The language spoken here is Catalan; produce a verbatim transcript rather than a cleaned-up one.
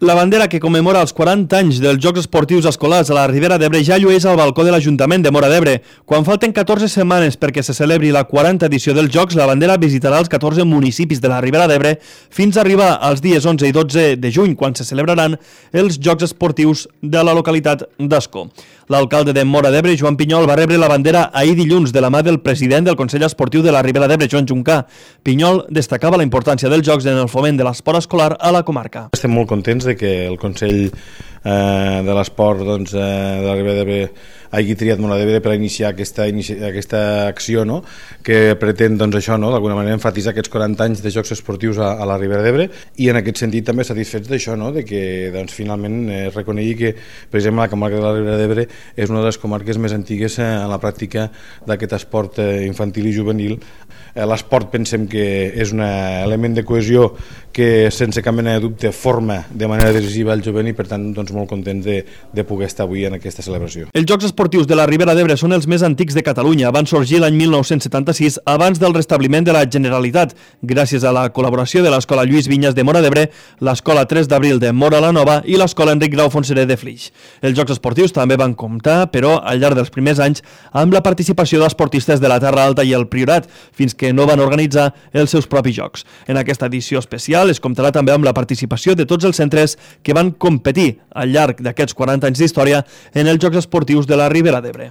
La bandera que commemora els quaranta anys dels Jocs Esportius Escolars a la Ribera d'Ebre ja llueix al balcó de l'Ajuntament de Móra d'Ebre. Quan falten catorze setmanes perquè se celebri la quaranta edició dels Jocs, la bandera visitarà els catorze municipis de la Ribera d'Ebre fins a arribar als dies onze i dotze de juny, quan se celebraran els Jocs Esportius de la localitat d'Ascó. L'alcalde de Móra d'Ebre, Joan Pinyol, va rebre la bandera ahir dilluns de la mà del president del Consell Esportiu de la Ribera d'Ebre, Joan Juncà. Pinyol destacava la importància dels Jocs en el foment de l'esport escolar a la comarca. Estem molt contents de que el Consell eh, de l'Esport doncs, eh, de la Ribera d'Ebre hagi triat Móra d'Ebre per iniciar aquesta, inici, aquesta acció, no? Que pretén doncs, això, no? D'alguna manera enfatitzar aquests quaranta anys de Jocs Esportius a, a la Ribera d'Ebre, i en aquest sentit també satisfets d'això, no? De que doncs, finalment es eh, reconegui que, per exemple, la comarca de la Ribera d'Ebre és una de les comarques més antigues eh, en la pràctica d'aquest esport eh, infantil i juvenil. Eh, L'esport pensem que és un element de cohesió que sense cap mena de dubte forma de manera decisiva el jovent, i per tant doncs, molt contents de, de poder estar avui en aquesta celebració. Els Jocs Esportius de la Ribera d'Ebre són els més antics de Catalunya. Van sorgir l'any mil nou-cents setanta-sis, abans del restabliment de la Generalitat, gràcies a la col·laboració de l'Escola Lluís Vinyes de Móra d'Ebre, l'Escola tres d'abril de Móra la Nova i l'Escola Enric Grau Fonseré de Flix. Els Jocs Esportius també van comptar, però, al llarg dels primers anys, amb la participació d'esportistes de la Terra Alta i el Priorat, fins que no van organitzar els seus propis jocs. En aquesta edició especial es comptarà també amb la participació de tots els centres que van competir al llarg d'aquests quaranta anys d'història en els Jocs Esportius de la Ribera d'Ebre.